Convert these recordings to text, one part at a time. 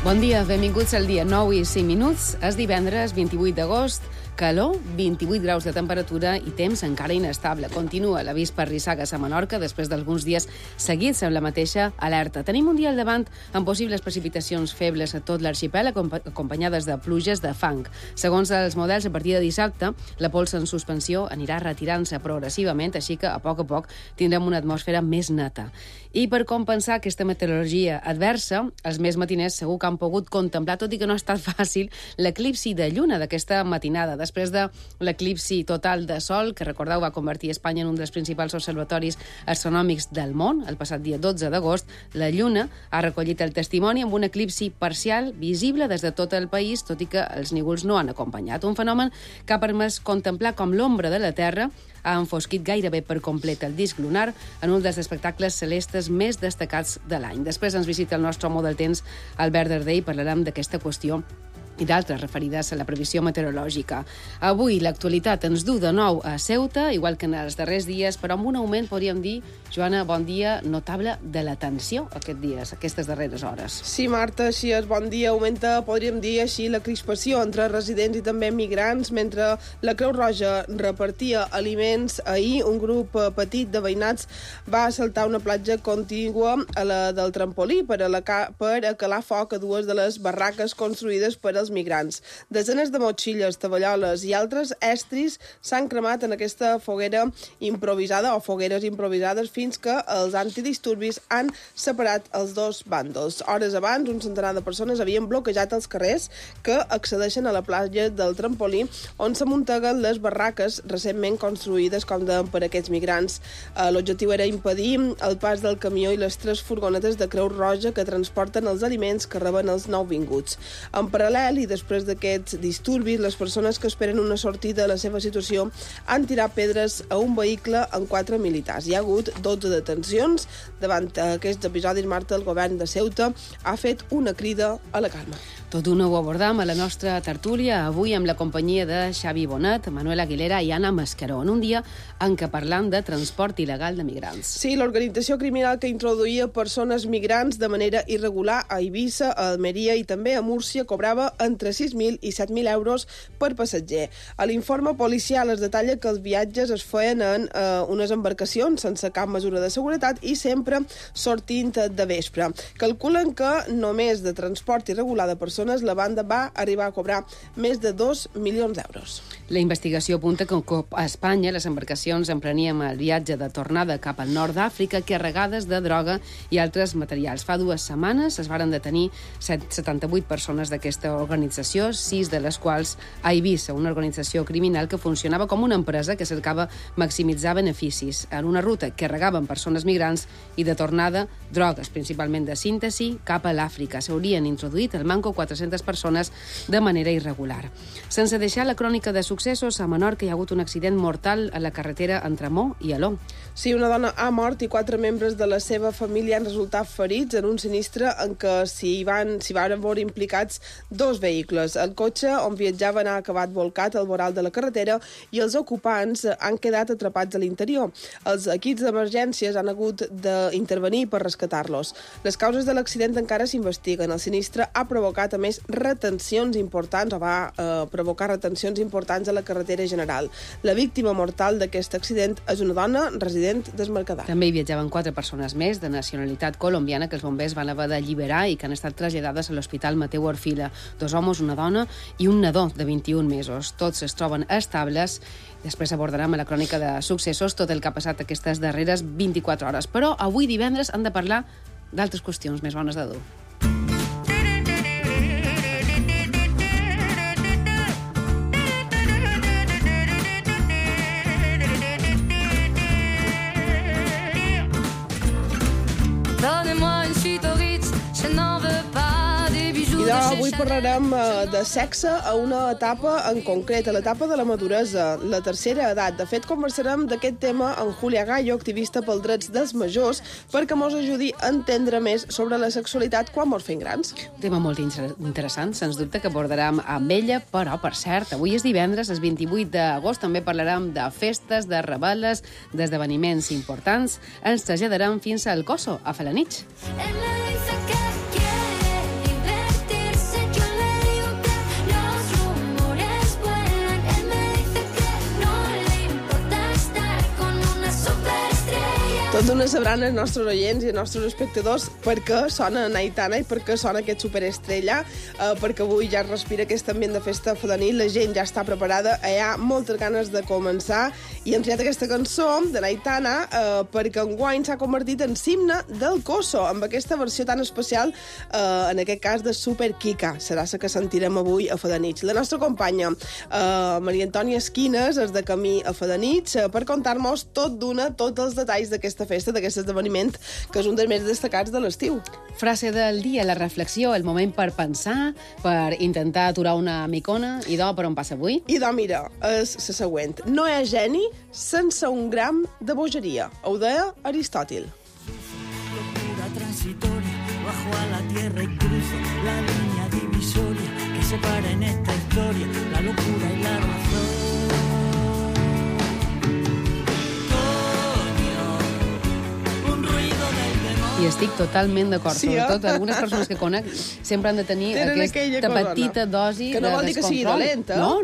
Bon dia, benvinguts al dia 9 i 5 minuts. És divendres 28 d'agost, calor, 28 graus de temperatura i temps encara inestable. Continua l'avís per rissagues a Menorca després d'alguns dies seguits amb la mateixa alerta. Tenim un dia al davant amb possibles precipitacions febles a tot l'arxipèlag acompanyades de pluges de fang. Segons els models, a partir de dissabte, la pols en suspensió anirà retirant-se progressivament, així que a poc tindrem una atmosfera més neta. I per compensar aquesta meteorologia adversa, els més matiners segur que han pogut contemplar, tot i que no ha estat fàcil, l'eclipsi de lluna d'aquesta matinada. Després de l'eclipsi total de sol, que recordeu va convertir Espanya en un dels principals observatoris astronòmics del món, el passat dia 12 d'agost, la lluna ha recollit el testimoni amb un eclipsi parcial visible des de tot el país, tot i que els nívols no han acompanyat. Un fenomen que ha permès contemplar com l'ombra de la Terra ha enfosquit gairebé per complet el disc lunar en un dels espectacles celestes més destacats de l'any. Després ens visita el nostre home del temps, Albert Darder, i parlarem d'aquesta qüestió i d'altres referides a la previsió meteorològica. Avui l'actualitat ens du de nou a Ceuta, igual que en els darrers dies, però amb un augment, podríem dir, Joana, bon dia, notable de la tensió aquests dies, aquestes darreres hores. Sí, Marta, així és. Bon dia. Augmenta, podríem dir així, la crispació entre residents i també migrants. Mentre la Creu Roja repartia aliments, ahir un grup petit de veïnats va assaltar una platja contigua a la del Trampolí per acalar foc a dues de les barraques construïdes per als migrants. Desenes de motxilles, taballoles i altres estris s'han cremat en aquesta foguera improvisada o fogueres improvisades fins que els antidisturbis han separat els dos bàndols. Hores abans, un centenar de persones havien bloquejat els carrers que accedeixen a la platja del Trampolí, on s'amunteguen les barraques recentment construïdes, com deien, per aquests migrants. L'objectiu era impedir el pas del camió i les 3 furgonetes de Creu Roja que transporten els aliments que reben els nouvinguts. En paral·lel, i després d'aquests disturbis, les persones que esperen una sortida de la seva situació han tirat pedres a un vehicle amb 4 militars. Hi ha hagut 12 detencions. Davant aquests episodis, Marta, el govern de Ceuta ha fet una crida a la calma. Tot d'una ho abordam a la nostra tertúlia, avui amb la companyia de Xavi Bonet, Manuel Aguilera i Anna Mascaró, en un dia en què parlam de transport il·legal de migrants. Sí, l'organització criminal que introduïa persones migrants de manera irregular a Eivissa, a Almeria i també a Múrcia cobrava entre 6.000 i 7.000 euros per passatger. A l'informe policial es detalla que els viatges es feien en unes embarcacions sense cap mesura de seguretat i sempre sortint de vespre. Calculen que només de transport irregular de persones la banda va arribar a cobrar més de 2 milions d'euros. La investigació apunta que a Espanya les embarcacions emprenien el viatge de tornada cap al nord d'Àfrica carregades de droga i altres materials. Fa 2 setmanes es varen detenir 78 persones d'aquesta organització, 6 de les quals a Eivissa, una organització criminal que funcionava com una empresa que cercava maximitzar beneficis en una ruta que carregaven persones migrants i de tornada drogues, principalment de síntesi, cap a l'Àfrica. S'haurien introduït al manco 400 persones de manera irregular. Sense deixar la crònica de successos, a Menorca hi ha hagut un accident mortal a la carretera entre Mó i Aló. Sí, una dona ha mort i 4 membres de la seva família han resultat ferits en un sinistre en què s'hi van veure implicats 2 vehicles. El cotxe on viatjaven ha acabat volcat al voral de la carretera i els ocupants han quedat atrapats a l'interior. Els equips d'emergències han hagut d'intervenir per rescatar-los. Les causes de l'accident encara s'investiguen. El sinistre ha provocat, a més, retencions importants, o va provocar retencions importants a la carretera general. La víctima mortal d'aquest accident és una dona resident d'Esmercadal. També hi viatjaven 4 persones més de nacionalitat colombiana que els bombers van haver d'alliberar i que han estat traslladades a l'Hospital Mateu Orfila. 2 homes, una dona i un nadó de 21 mesos. Tots es troben estables. Després abordarem a la crònica de successos tot el que ha passat aquestes darreres 24 hores. Però avui divendres hem de parlar d'altres qüestions més bones de dur. Donnez-moi une suite au Ritz, je n'en veux pas des bijoux de chez Avui parlarem de sexe a una etapa en concret, a l'etapa de la maduresa, la tercera edat. De fet, conversarem d'aquest tema amb Julia Gallo, activista pels drets dels majors, perquè mos ajudi a entendre més sobre la sexualitat quan mos fem grans. Un tema molt interessant, sens dubte, que abordarem amb ella, però, per cert, avui és divendres, és 28 d'agost, també parlarem de festes, de rebel·les, d'esdeveniments importants. Ens traslladarem fins al Coso, a Felanitx. Ella dice que quiere libertad. Tot d'una sabran els nostres oients i els nostres espectadors per què sona Aitana i per què sona aquest superestrella, perquè avui ja es respira aquest ambient de festa fedanil, la gent ja està preparada, hi ha moltes ganes de començar, i hem triat aquesta cançó de Aitana perquè enguany s'ha convertit en himne del Coso, amb aquesta versió tan especial, en aquest cas de Super Kika. Serà la que sentirem avui a Fedanitx. La nostra companya, Maria Antònia Esquines, és de camí a Fedanitx per contar-nos tot d'una, tots els detalls d'aquesta festa, d'aquest esdeveniment, que és un dels més destacats de l'estiu. Frase del dia, la reflexió, el moment per pensar, per intentar aturar una micona. I per on passa avui? I mira, és la següent. No hi ha geni sense un gram de bogeria. Ho deia Aristòtil. Locura transitoria, bajo a la tierra y cruzo la línea divisoria que separa en esta historia la locura y la razón. I estic totalment d'acord. Sí, sobretot algunes persones que conec sempre han de tenir aquesta petita dosi de descontrol. Que no vol dir que sigui dolenta. No.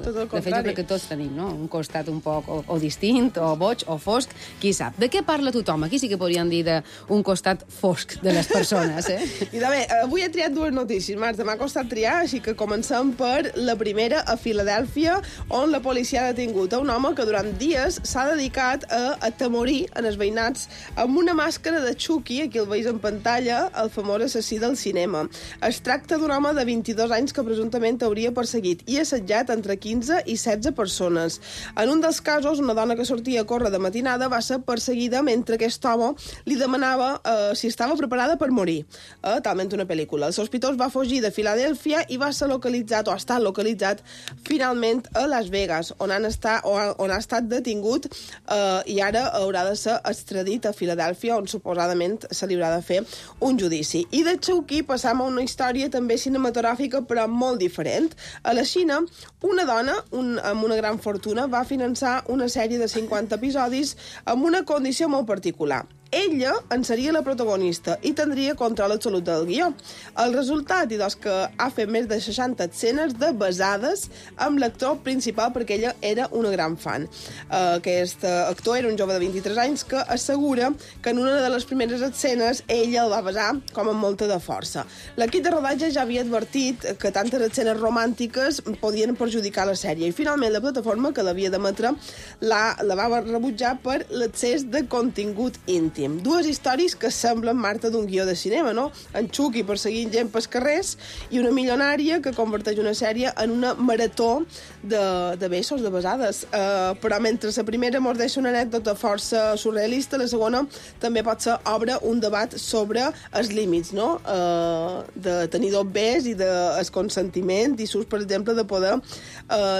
Tot el de fet, jo crec que tots tenim, no? Un costat un poc o distint, o boig, o fosc, qui sap. De què parla tothom? Aquí sí que podríem dir d'un costat fosc de les persones, eh? I bé, avui he triat dues notícies, Marta. M'ha costat triar, així que comencem per la primera a Filadèlfia, on la policia ha detingut a un home que durant dies s'ha dedicat a atemorir en els veïnats amb una màscara de Chucky, aquí el veus en pantalla, el famós assassí del cinema. Es tracta d'un home de 22 anys que presumptament hauria perseguit i assetjat entre 15 i 16 persones. En un dels casos, una dona que sortia a córrer de matinada va ser perseguida mentre aquest home li demanava si estava preparada per morir. Talment una pel·lícula. El sospitós va fugir de Filadèlfia i va ser localitzat, o ha estat localitzat, finalment a Las Vegas, on ha estat detingut i ara haurà de ser extradit a Filadèlfia, on suposadament se li haurà de fer un judici. I de Chucky passam a una història també cinematogràfica, però molt diferent. A la Xina, una dona amb una gran fortuna va finançar una sèrie de 50 episodis amb una condició molt particular. Ella en seria la protagonista i tindria control absolut del guió. El resultat, que ha fet més de 60 escenes de basades amb l'actor principal, perquè ella era una gran fan. Aquest actor era un jove de 23 anys que assegura que en una de les primeres escenes ella el va besar com amb molta de força. L'equip de rodatge ja havia advertit que tantes escenes romàntiques podien perjudicar la sèrie i finalment la plataforma que l'havia d'emetre la va rebutjar per l'excés de contingut íntim. Dues històries que semblen, Marta, d'un guió de cinema, no? En Chucky perseguint gent pels carrers i una milionària que converteix una sèrie en una marató de besos, de besades. Però mentre la primera mos deixa una anècdota força surrealista, la segona també pot ser obre un debat sobre els límits, no? De tenir dos bes i del consentiment i sus, per exemple, de poder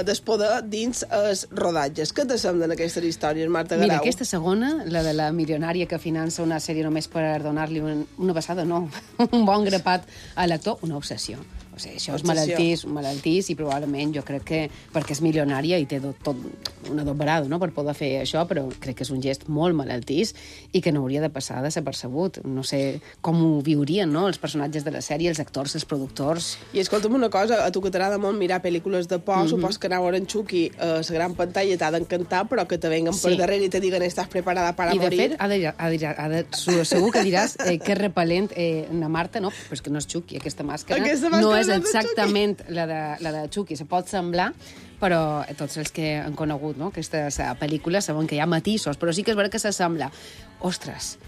despoder dins els rodatges. Què te semblen aquestes històries, Marta Garau? Mira, aquesta segona, la de la milionària que finança una sèrie només per donar-li una passada, no, un bon grapat a l'actor, una obsessió. O sigui, això és malaltís i probablement jo crec que perquè és milionària i té tot una dobrada, no?, per poder fer això, però crec que és un gest molt malaltís i que no hauria de passar desapercebut. No sé com ho viurien, no?, els personatges de la sèrie, els actors, els productors. I escolta'm una cosa, a tu que t'agrada molt mirar pel·lícules de por, supos que anar a veure en Chucky a la gran pantalla t'ha d'encantar, però que te venguen per darrere i te diguen estàs preparada para morir. I de fet, segur que diràs que és repel·lent na Marta, no? Però és que no és Chucky, aquesta màscara no és exactament la de Chucky. Se pot semblar, però tots els que han conegut, no?, aquestes pel·lícules saben que hi ha matisos, però sí que és veritat que s'assembla. Ostres,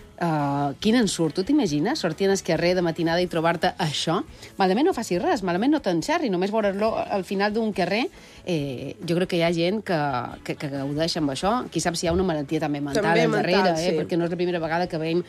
quin ensurt. Tu t'imagines sortir al carrer de matinada i trobar-te això? Malament no facis res, malament no t'enxerri, només veure-lo al final d'un carrer. Jo crec que hi ha gent que gaudeix amb això. Qui sap si hi ha una malaltia també mental al darrere, sí. Perquè no és la primera vegada que veiem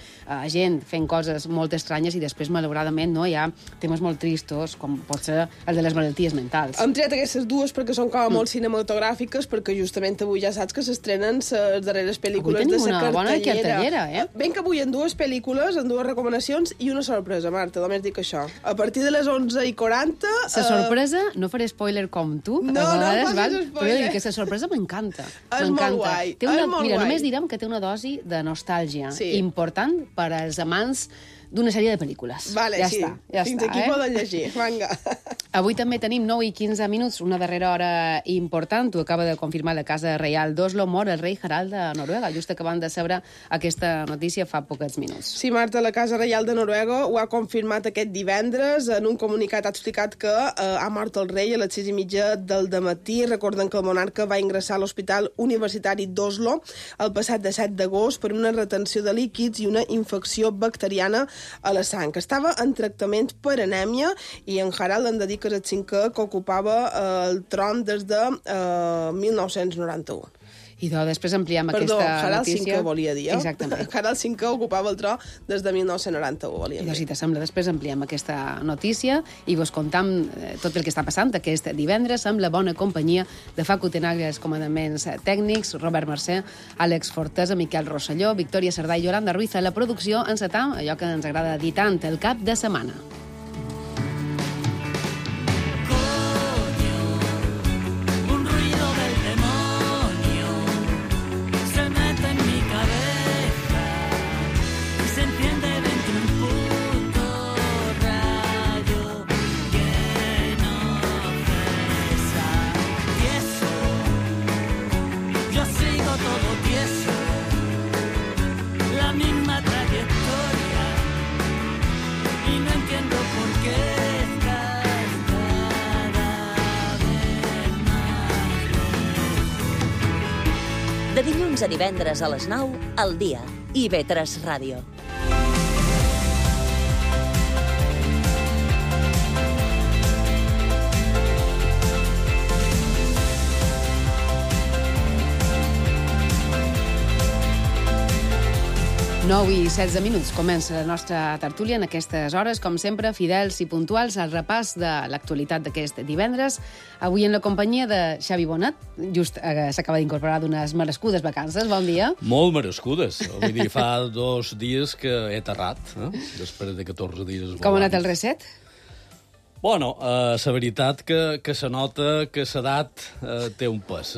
gent fent coses molt estranyes i després, malauradament, no, hi ha temes molt tristos, com pot ser el de les malalties mentals. Hem triat aquestes dues perquè són com molt cinematogràfiques, perquè justament avui ja saps que s'estrenen les darreres pel·lícules de la cartellera. Avui tenim una bona cartellera, Ben que avui en dues pel·lícules, en dues recomanacions i una sorpresa, Marta, només dic això. A partir de les 11:40... La sorpresa, no faré spoiler com tu, però dic que la sorpresa m'encanta. És molt guai. Mira, només direm que té una dosi de nostàlgia important per als amants d'una sèrie de pel·lícules. Vale, ja sí. està, ja Fins està, aquí poden llegir, vinga. Avui també tenim 9 i 15 minuts, una darrera hora important. Ho acaba de confirmar la Casa Reial d'Oslo. Mor el rei Harald de Noruega. Just acabant de saber aquesta notícia fa pocs minuts. Sí, Marta, la Casa Reial de Noruega ho ha confirmat aquest divendres. En un comunicat ha explicat que ha mort el rei a les 6:30 del dematí. Recorden que el monarca va ingressar a l'Hospital Universitari d'Oslo el passat 7 d'agost per una retenció de líquids i una infecció bacteriana a la sang. Estava en tractament per anèmia i en Harald en dedica el cinquè que ocupava el tron des de 1991. I després ampliem Perdó, aquesta Harald notícia. V volia dir, Exactament. Harald V ocupava el tro des de 1991, volia dir. I si t'assembla, després ampliem aquesta notícia i vos contam tot el que està passant aquest divendres amb la bona companyia de Facu Tenaglia, els comandaments tècnics, Robert Mercè, Àlex Fortesa, Miquel Rosselló, Victòria Cerdà i Yolanda Ruiz a la producció, encetam allò que ens agrada dir tant, el cap de setmana. De dilluns a divendres a les 9, al dia. IB3 Ràdio. Nou i 16 minuts. Comença la nostra tertúlia en aquestes hores, com sempre, fidels i puntuals al repàs de l'actualitat d'aquest divendres. Avui en la companyia de Xavi Bonat, just s'acaba d'incorporar d'unes merescudes vacances. Bon dia. Molt merescudes. Vull dir, fa 2 dies que he aterrat, després de 14 dies volant. Com ha anat el reset? Bueno, la veritat que se nota que l'edat té un pes,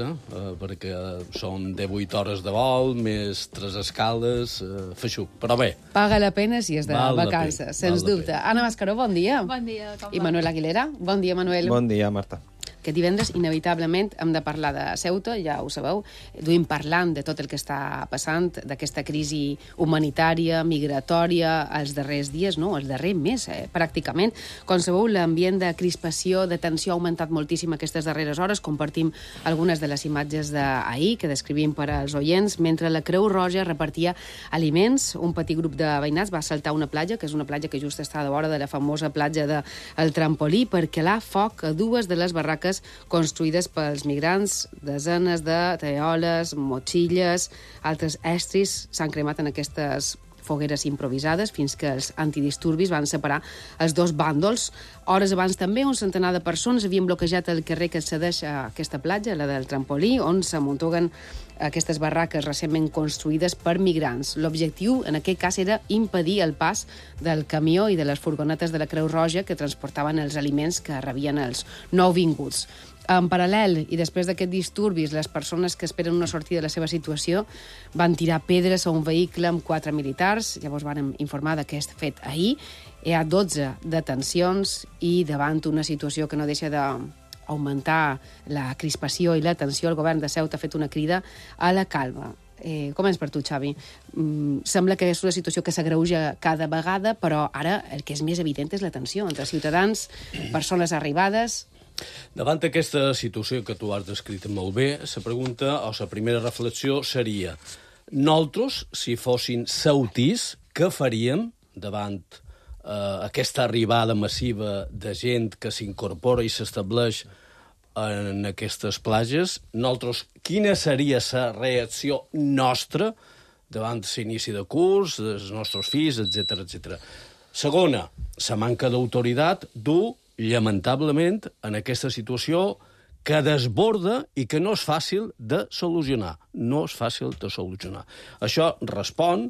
perquè són 18 hores de vol, més 3 escales, feixuc, però bé. Paga la pena si és de vacances, sens dubte. Anna Mascaró, bon dia. Bon dia, com va? I Manuel Aguilera. Bon dia, Manuel. Bon dia, Marta. Aquest divendres, inevitablement, hem de parlar de Ceuta, ja ho sabeu. Duim parlant de tot el que està passant, d'aquesta crisi humanitària, migratòria, els darrers dies, no? El darrer mes, pràcticament. Com sabeu, l'ambient de crispació, de tensió ha augmentat moltíssim aquestes darreres hores. Compartim algunes de les imatges d'ahir, que descrivim per als oients. Mentre la Creu Roja repartia aliments, un petit grup de veïnats va saltar una platja, que és una platja que just està a la vora de la famosa platja del Trampolí, per calar foc a 2 de les barraques construïdes pels migrants. Desenes de teoles, motxilles, altres estris s'han cremat en aquestes fogueres improvisades fins que els antidisturbis van separar els 2 bàndols. Hores abans també un centenar de persones havien bloquejat el carrer que accedeix a aquesta platja, la del Trampolí, on s'amuntuguen aquestes barraques recentment construïdes per migrants. L'objectiu en aquest cas era impedir el pas del camió i de les furgonetes de la Creu Roja que transportaven els aliments que rebien els nouvinguts. En paral·lel, i després d'aquests disturbis, les persones que esperen una sortida de la seva situació van tirar pedres a un vehicle amb 4 militars. Llavors van informar d'aquest fet ahir. Hi ha 12 detencions i davant una situació que no deixa d'augmentar la crispació i la tensió, el govern de Ceuta ha fet una crida a la calma. Començ per tu, Xavi. Sembla que és una situació que s'agreuja cada vegada, però ara el que és més evident és la tensió entre ciutadans, persones arribades. Davant aquesta situació que tu has descrit molt bé, la pregunta o la primera reflexió seria: nosaltres, si fossin ceutís, què faríem davant aquesta arribada massiva de gent que s'incorpora i s'estableix en aquestes platges? Nosaltres, quina seria la reacció nostra davant l'inici de curs, dels nostres fills, etc. Segona, la manca d'autoritat du lamentablement, en aquesta situació que desborda i que no és fàcil de solucionar. No és fàcil de solucionar. Això respon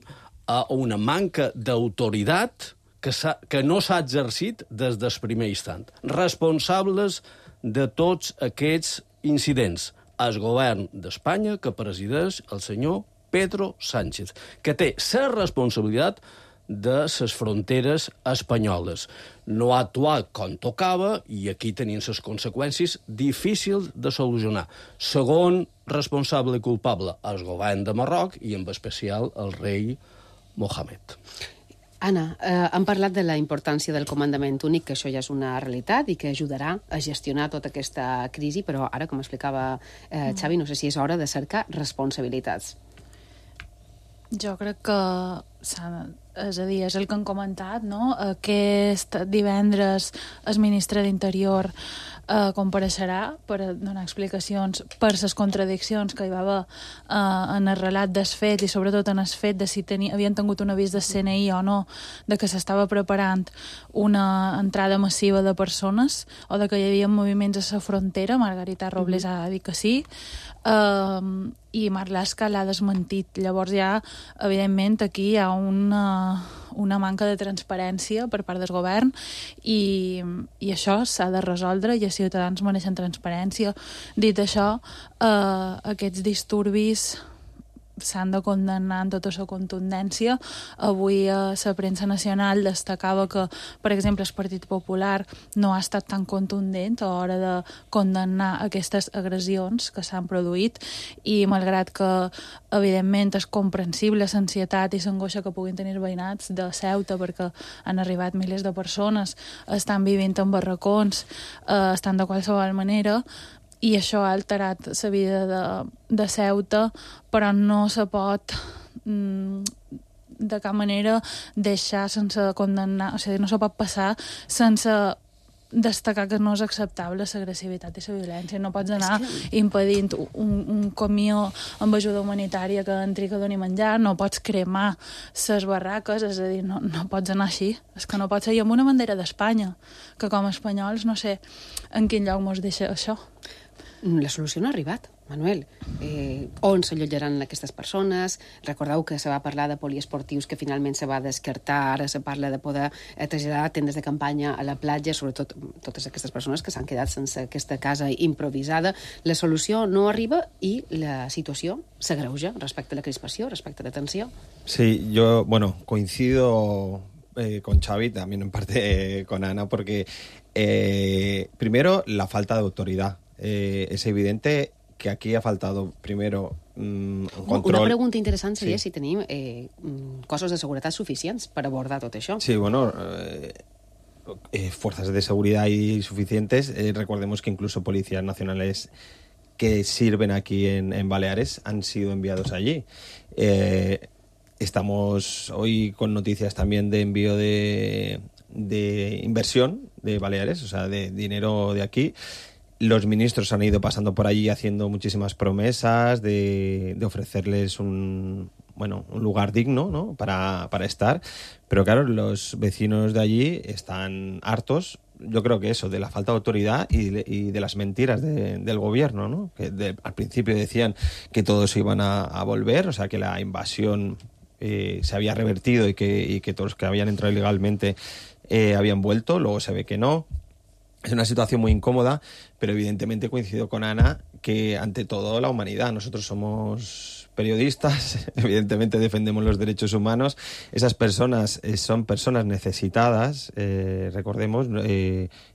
a una manca d'autoritat que no s'ha exercit des del primer instant. Responsables de tots aquests incidents. El govern d'Espanya, que presideix el senyor Pedro Sánchez, que té la responsabilitat de les fronteres espanyoles. No ha actuat com tocava i aquí tenien les conseqüències difícils de solucionar. Segon responsable i culpable, el govern de Marroc i en especial el rei Mohamed. Anna, hem parlat de la importància del comandament únic, que això ja és una realitat i que ajudarà a gestionar tota aquesta crisi, però ara, com explicava Xavi, no sé si és hora de cercar responsabilitats. Jo crec que, és a dir, és el que han comentat, no? Aquest divendres el ministre d'Interior compareixerà per donar explicacions per les contradiccions que hi va haver en el relat dels fets i sobretot en el fet de si havien tingut un avís del CNI o no, de que s'estava preparant una entrada massiva de persones o de que hi havia moviments a la frontera. Margarita Robles ha dit que sí, i Marlaska l'ha desmentit. Llavors ja, evidentment, aquí hi ha una manca de transparència per part del govern i això s'ha de resoldre i els ciutadans mereixen transparència. Dit això, aquests disturbis s'han de condemnar en tota la contundència. Avui a la premsa nacional destacava que, per exemple, el Partit Popular no ha estat tan contundent a l'hora de condemnar aquestes agressions que s'han produït i malgrat que, evidentment, és comprensible l'ansietat i l'angoixa que puguin tenir veïnats de Ceuta perquè han arribat milers de persones, estan vivint en barracons, estan de qualsevol manera, i això ha alterat la vida de Ceuta, però no se pot de cap manera deixar sense condemnar, o sigui, no se pot passar sense destacar que no és acceptable l'agressivitat i la violència. No pots anar impedint un camió amb ajuda humanitària que entri que doni menjar, no pots cremar les barraques, és a dir, no pots anar així. És que no pot ser. I amb una bandera d'Espanya, que com a espanyols no sé en quin lloc mos deixa això. La solució no ha arribat, Manuel. On s'allotjaran aquestes persones? Recordeu que se va parlar de poliesportius que finalment se va descartar, ara se parla de poder traslladar tendes de campanya a la platja, sobretot totes aquestes persones que s'han quedat sense aquesta casa improvisada. La solució no arriba i la situació s'agreuja respecte a la crispació, respecte a la tensió. Sí, yo, coincido con Xavi, también en parte con Ana, porque primero la falta de autoridad. Es evidente que aquí ha faltado primero un control. Una pregunta interessant seria si tenim cossos de seguretat suficients per abordar tot això. Sí, fuerzas de seguridad y suficientes. Recordemos que incluso policías nacionales que sirven aquí en Baleares han sido enviados allí. Estamos hoy con noticias también de envío de inversión de Baleares, o sea, de dinero de aquí. Los ministros han ido pasando por allí haciendo muchísimas promesas de ofrecerles un lugar digno, ¿no? para estar. Pero claro, los vecinos de allí están hartos, yo creo que eso, de la falta de autoridad y de las mentiras del gobierno, ¿no? Que al principio decían que todos iban a volver, o sea, que la invasión se había revertido y que todos los que habían entrado ilegalmente habían vuelto. Luego se ve que no. Es una situación muy incómoda, pero evidentemente coincido con Ana que ante todo la humanidad. Nosotros somos periodistas, evidentemente defendemos los derechos humanos. Esas personas son personas necesitadas, recordemos,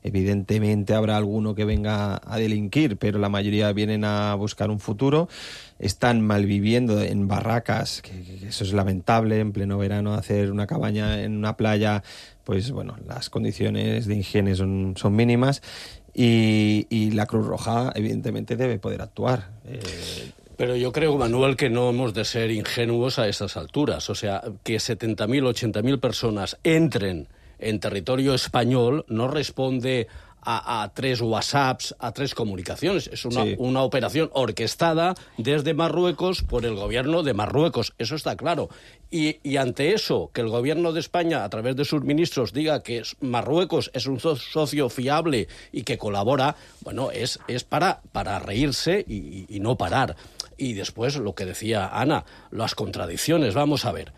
evidentemente habrá alguno que venga a delinquir, pero la mayoría vienen a buscar un futuro. Están malviviendo en barracas, que eso es lamentable, en pleno verano hacer una cabaña en una playa, pues las condiciones de higiene son mínimas y la Cruz Roja evidentemente debe poder actuar. Pero yo creo, Manuel, que no hemos de ser ingenuos a estas alturas. O sea, que 70.000, 80.000 personas entren en territorio español no responde a 3 WhatsApps, a 3 comunicaciones. Es una operación orquestada desde Marruecos por el gobierno de Marruecos. Eso está claro. Y ante eso, que el gobierno de España, a través de sus ministros, diga que Marruecos es un socio fiable y que colabora, es para reírse y no parar. Y después, lo que decía Ana, las contradicciones. Vamos a ver.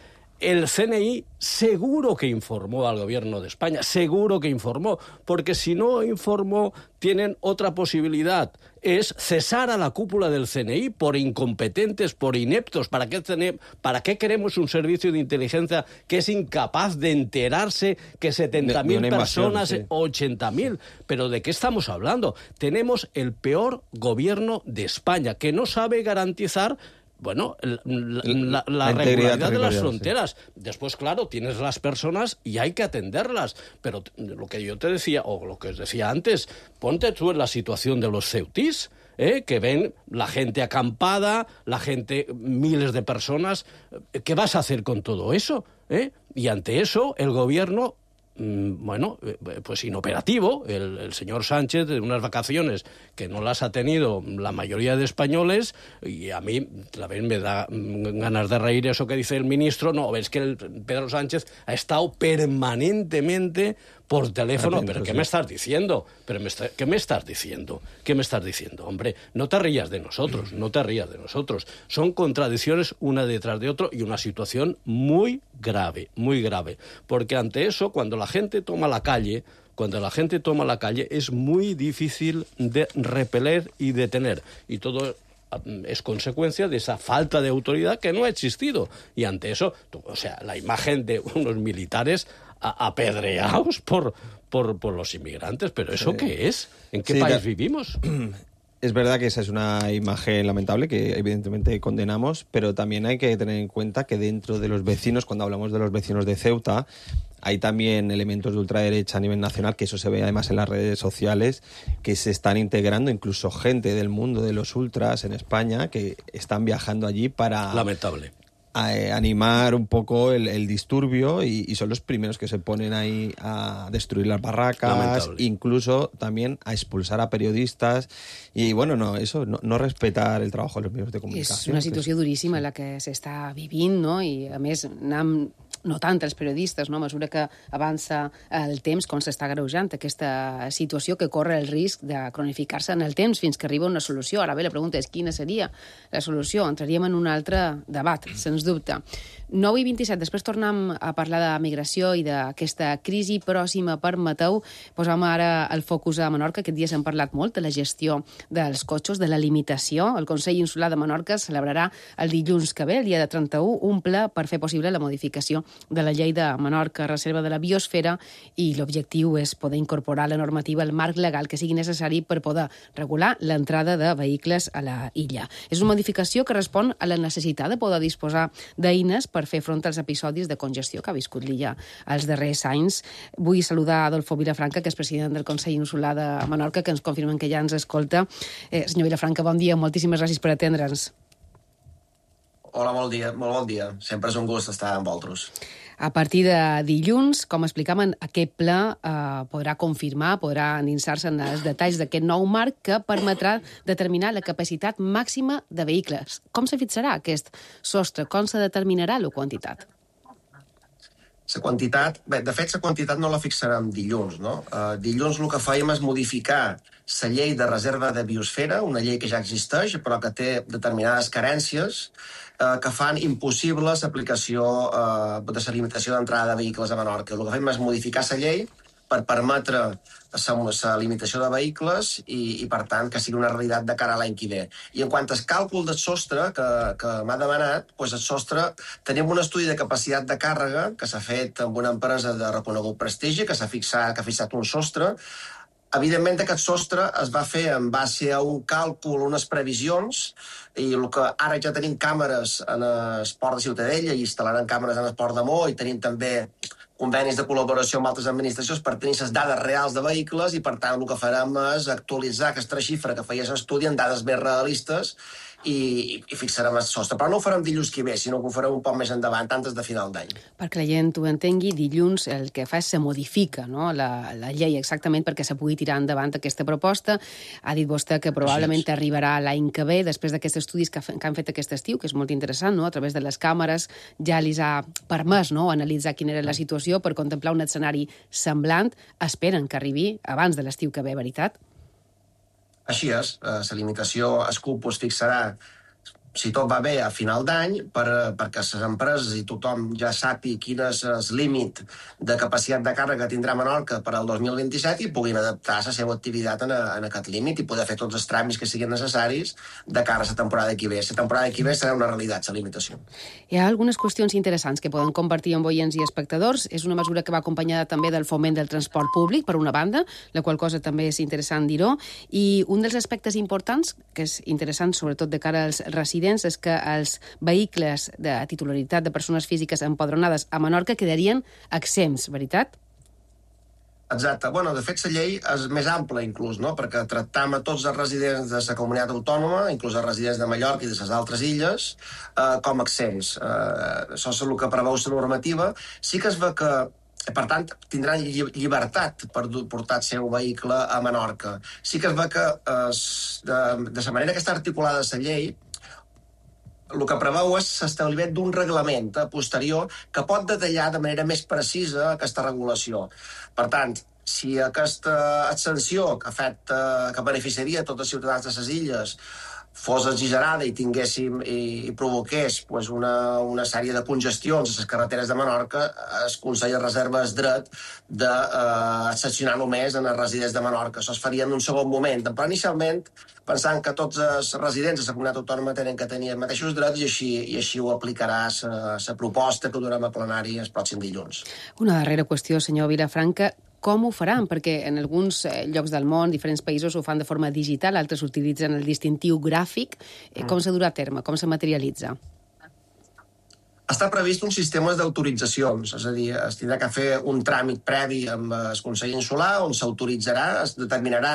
el CNI seguro que informó al gobierno de España, seguro que informó, porque si no informó, tienen otra posibilidad, es cesar a la cúpula del CNI por incompetentes, por ineptos. ¿Para qué queremos un servicio de inteligencia que es incapaz de enterarse que 70.000 personas, sí, o 80.000? ¿Pero de qué estamos hablando? Tenemos el peor gobierno de España, que no sabe garantizar la regularidad de las fronteras. Sí. Después, claro, tienes las personas y hay que atenderlas. Pero lo que yo te decía, o lo que os decía antes, ponte tú en la situación de los ceutís, que ven la gente acampada, la gente, miles de personas. ¿Qué vas a hacer con todo eso? Y ante eso, el gobierno... pues inoperativo, el señor Sánchez, de unas vacaciones que no las ha tenido la mayoría de españoles, y a mí también me da ganas de reír eso que dice el ministro. No, es que Pedro Sánchez ha estado permanentemente por teléfono. Atento, ¿pero qué, sí, me estás diciendo? ¿Qué me estás diciendo? ¿Qué me estás diciendo? Hombre, no te rías de nosotros, no te rías de nosotros. Son contradicciones una detrás de otra y una situación muy grave, porque ante eso, cuando la gente toma la calle, es muy difícil de repeler y detener, y todo es consecuencia de esa falta de autoridad que no ha existido. Y ante eso, la imagen de unos militares apedreados por los inmigrantes, ¿pero eso qué es? ¿En qué país vivimos? Es verdad que esa es una imagen lamentable que evidentemente condenamos, pero también hay que tener en cuenta que dentro de los vecinos, cuando hablamos de los vecinos de Ceuta, hay también elementos de ultraderecha a nivel nacional, que eso se ve además en las redes sociales, que se están integrando, incluso gente del mundo de los ultras en España, que están viajando allí para... Lamentable. Animar un poco el disturbio, y son los primeros que se ponen ahí a destruir las barracas, incluso también a expulsar a periodistas, y no respetar el trabajo de los medios de comunicación. És una situació duríssima la que s'està vivint, no? I a més anem notant els periodistes, no? A mesura que avança el temps, com s'està greujant aquesta situació que corre el risc de cronificar-se en el temps fins que arriba una solució. Ara bé, la pregunta és quina seria la solució. Entraríem en un altre debat, sens dubte. 9:27, després tornem a parlar de migració i d'aquesta crisi pròxima per Mateu. Posam ara el focus a Menorca. Aquest dia s'han parlat molt de la gestió dels cotxes, de la limitació. El Consell Insular de Menorca celebrarà el dilluns que ve, el dia de 31, un ple per fer possible la modificació de la llei de Menorca, reserva de la biosfera, i l'objectiu és poder incorporar la normativa al marc legal que sigui necessari per poder regular l'entrada de vehicles a la illa. És una modificació que respon a la necessitat de poder disposar d'eines per fer front als episodis de congestió que ha viscut l'illa els darrers anys. Vull saludar Adolfo Vilafranca, que és president del Consell Insular de Menorca, que ens confirmen que ja ens escolta. Senyor Vilafranca, bon dia, moltíssimes gràcies per atendre'ns. Hola, molt bon dia. Sempre és un gust estar amb vosaltres. A partir de dilluns, com explicaven, aquest ple podrà confirmar, podrà endinsar-se en els detalls d'aquest nou marc que permetrà determinar la capacitat màxima de vehicles. Com se fixarà aquest sostre? Com se determinarà la quantitat? La quantitat... Bé, de fet, la quantitat no la fixarem dilluns, no? Dilluns el que fèiem és modificar la llei de reserva de biosfera, una llei que ja existeix, però que té determinades carències que fan impossible l'aplicació de la limitació d'entrada de vehicles a Menorca. El que fem és modificar la llei per permetre la limitació de vehicles i, per tant, que sigui una realitat de cara a l'any que ve. I en quant al càlcul del sostre que m'ha demanat, doncs el sostre, tenim un estudi de capacitat de càrrega que s'ha fet amb una empresa de reconegut prestigi, que ha fixat un sostre. Evidentment, aquest sostre es va fer en base a un càlcul, unes previsions, i el que ara ja tenim càmeres en el port de Ciutadella i instal·laran càmeres en el port de Mó, i tenim també convenis de col·laboració amb altres administracions per tenir les dades reals de vehicles, i per tant el que farem és actualitzar aquesta xifra que feia l'estudi en dades més realistes i fixarem el sostre. Però no ho farem dilluns que ve, sinó que ho farem un poc més endavant, antes de final d'any. Perquè la gent ho entengui, dilluns el que fa és se modifica, no? la llei exactament perquè se pugui tirar endavant aquesta proposta. Ha dit vostè que probablement arribarà l'any que ve, després d'aquests estudis que han fet aquest estiu, que és molt interessant, no? A través de les càmeres ja li ha permès, no?, analitzar quina era la situació per contemplar un escenari semblant. Esperen que arribi abans de l'estiu que ve, veritat? Així és, la limitació, el CUP es fixarà si tot va bé, a final d'any, perquè les empreses i tothom ja sàpiga quin és el límit de capacitat de càrrega que tindrà Menorca per al 2027 i puguin adaptar la seva activitat en aquest límit i poder fer tots els tràmits que siguin necessaris de cara a la temporada que ve. La temporada que ve serà una realitat, la limitació. Hi ha algunes qüestions interessants que poden compartir amb oients i espectadors. És una mesura que va acompanyada també del foment del transport públic, per una banda, la qual cosa també és interessant dir-ho, i un dels aspectes importants, que és interessant sobretot de cara als residents, és que els vehicles de titularitat de persones físiques empadronades a Menorca quedarien exempts, veritat? Exacte. Bueno, de fet, la llei és més ampla, inclús, no? Perquè tractam a tots els residents de la comunitat autònoma, inclús els residents de Mallorca i de les altres illes, com exempts. Això és el que preveu la normativa. Sí que es ve que per tant, tindran llibertat per portar el seu vehicle a Menorca. Sí que es ve que, de la manera que està articulada la llei, el que preveu és l'establiment d'un reglament posterior que pot detallar de manera més precisa aquesta regulació. Per tant, si aquesta extensió que beneficiaria tots els ciutadans de les illes fos exagerada i tinguéssim i provoqués una sèrie de congestions a les carreteres de Menorca, el Consell reserva el dret d'excepcionar només en els residents de Menorca. Això es faria en un segon moment, però inicialment pensant que tots els residents de la comunitat autònoma tenen que tenir els mateixos drets i així ho aplicarà la proposta que durem a plenari el pròxim dilluns. Una darrera qüestió, senyor Vilafranca. Com ho faran? Perquè en alguns llocs del món, diferents països, ho fan de forma digital, altres utilitzen el distintiu gràfic. Com se durà a terme? Com se materialitza? Està previst un sistema d'autoritzacions, és a dir, es tindrà que fer un tràmit previ amb el Consell Insular on s'autoritzarà, es determinarà,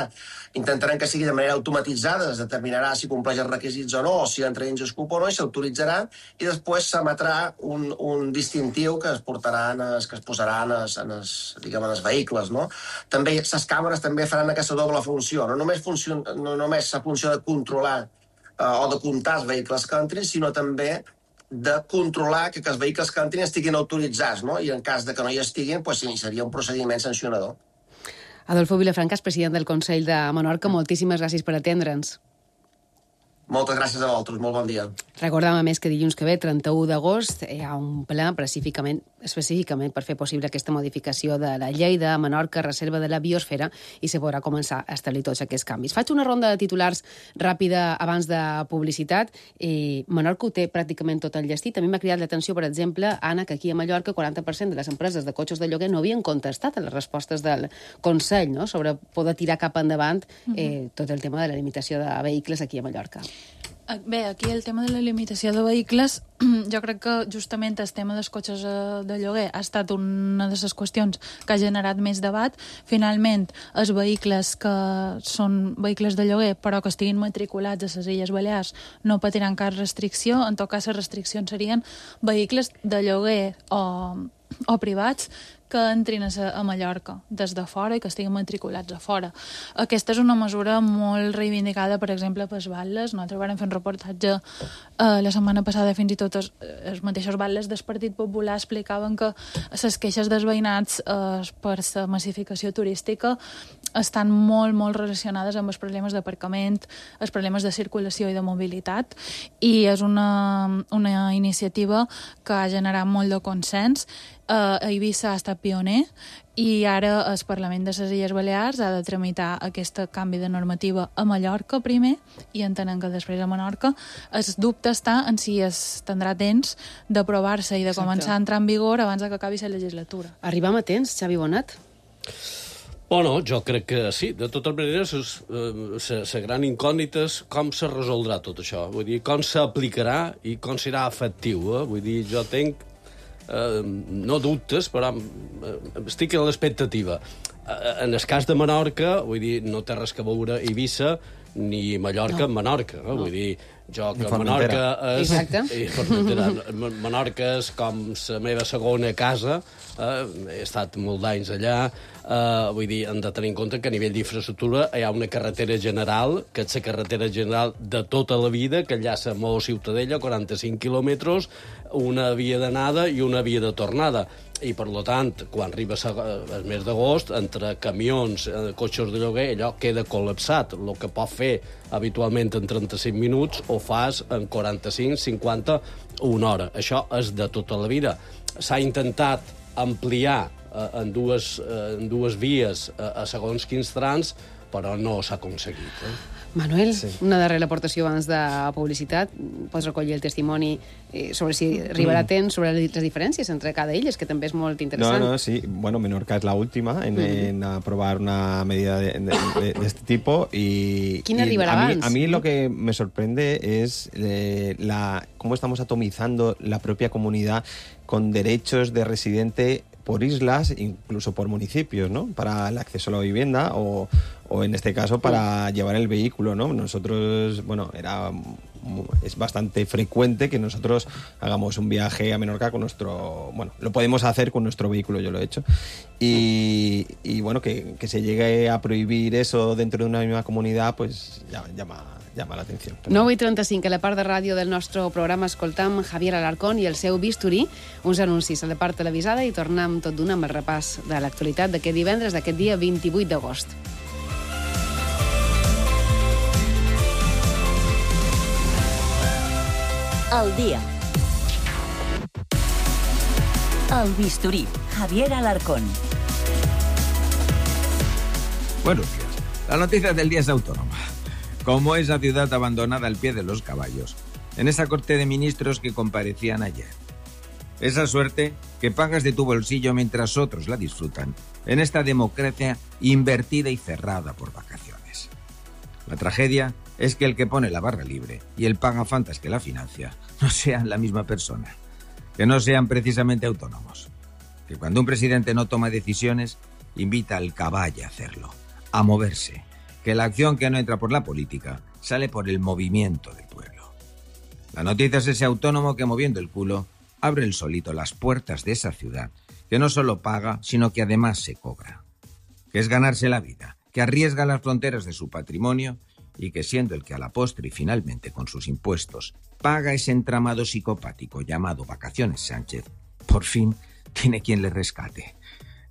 intentarem que sigui de manera automatitzada, es determinarà si compleix els requisits o no, o si entra dins el CUP o no, i s'autoritzarà, i després s'emetrà un distintiu que es portaran, que es posaran en els vehicles, no? També les càmeres també faran aquesta doble funció, no només la funció de controlar o de comptar els vehicles que entrin, sinó també de controlar que els vehicles que entrin estiguin autoritzats, no? I en cas de que no hi estiguin, doncs sí, seria un procediment sancionador. Adolfo Vilafranca, president del Consell de Menorca, moltíssimes gràcies per atendre'ns. Moltes gràcies a vosaltres, molt bon dia. Recordam, a més, que dilluns que ve, 31 d'agost, hi ha un ple específicament per fer possible aquesta modificació de la llei de Menorca, reserva de la biosfera, i se podrà començar a establir tots aquests canvis. Faig una ronda de titulars ràpida abans de publicitat. Menorca ho té pràcticament tot enllestit. A mi m'ha cridat l'atenció, per exemple, Anna, que aquí a Mallorca 40% de les empreses de cotxes de lloguer no havien contestat a les respostes del Consell, no?, sobre poder tirar cap endavant tot el tema de la limitació de vehicles aquí a Mallorca. Bé, aquí el tema de la limitació de vehicles, jo crec que justament el tema dels cotxes de lloguer ha estat una de les qüestions que ha generat més debat. Finalment, els vehicles que són vehicles de lloguer però que estiguin matriculats a les Illes Balears no patiran cap restricció. En tot cas, les restriccions serien vehicles de lloguer o privats que entrin a Mallorca des de fora i que estiguin matriculats a fora. Aquesta és una mesura molt reivindicada, per exemple, pels batlles. Nosaltres vam fer un reportatge la setmana passada, fins i tot els mateixos batlles del Partit Popular explicaven que les queixes dels veïnats per la massificació turística estan molt, molt relacionades amb els problemes d'aparcament, els problemes de circulació i de mobilitat, i és una iniciativa que ha generat molt de consens. A Eivissa ha estat pioner i ara el Parlament de les Illes Balears ha de tramitar aquest canvi de normativa a Mallorca primer i entenem que després a Menorca. El dubte està en si es tindrà temps d'aprovar-se i de començar a entrar en vigor abans que acabi la legislatura. Arribam a temps, Xavi Bonat? Bueno, jo crec que sí. De totes maneres, la gran incògnita és com se resoldrà tot això. Vull dir, com s'aplicarà i com serà efectiu. Vull dir, jo tenc no dubtes, però estic en l'expectativa. En el cas de Menorca, vull dir, no té res que veure Eivissa ni Mallorca amb Menorca. Vull dir, jo que Menorca és... Menorca és com la meva segona casa, he estat molt d'anys allà, vull dir, hem de tenir en compte que a nivell d'infraestructura hi ha una carretera general, que és la carretera general de tota la vida, que enllaça Maó Ciutadella, 45 quilòmetres, una via d'anada i una via de tornada. I, per tant, quan arriba el mes d'agost, entre camions, cotxes de lloguer, allò queda col·lapsat. El que pot fer habitualment en 35 minuts ho fas en 45, 50 o una hora. Això és de tota la vida. S'ha intentat ampliar en dues vies a segons quins trams, però no s'ha aconseguit. Manuel, una darrera aportació abans de publicitat. Pots recollir el testimoni sobre si arribarà a temps, sobre les diferències entre cada illes, que també és molt interessant. No, sí. Bueno, Menorca es la última en aprobar una medida de este tipo. ¿Quién arribará abans? A mí lo que me sorprende es cómo estamos atomizando la propia comunidad con derechos de residente por islas, incluso por municipios, ¿no? Para el acceso a la vivienda o en este caso para llevar el vehículo, ¿no? Nosotros, bueno, es bastante frecuente que nosotros hagamos un viaje a Menorca con nuestro... Bueno, lo podemos hacer con nuestro vehículo, yo lo he hecho. Y bueno, que se llegue a prohibir eso dentro de una misma comunidad, pues llama l'atenció. 9:35, a la part de ràdio del nostre programa escoltam Javier Alarcón i el seu bisturí, uns anuncis a la part televisada i tornem tot d'una amb el repàs de l'actualitat d'aquest divendres, d'aquest dia 28 d'agost. El dia. El bisturí. Javier Alarcón. Buenos días. La noticia del día es autónoma. Como esa ciudad abandonada al pie de los caballos, en esa corte de ministros que comparecían ayer. Esa suerte que pagas de tu bolsillo mientras otros la disfrutan, en esta democracia invertida y cerrada por vacaciones. La tragedia es que el que pone la barra libre y el pagafantas que la financia no sean la misma persona, que no sean precisamente autónomos, que cuando un presidente no toma decisiones, invita al caballo a hacerlo, a moverse, que la acción que no entra por la política sale por el movimiento del pueblo. La noticia es ese autónomo que, moviendo el culo, abre el solito las puertas de esa ciudad, que no solo paga, sino que además se cobra, que es ganarse la vida, que arriesga las fronteras de su patrimonio y que, siendo el que a la postre y finalmente con sus impuestos paga ese entramado psicopático llamado Vacaciones Sánchez, por fin tiene quien le rescate.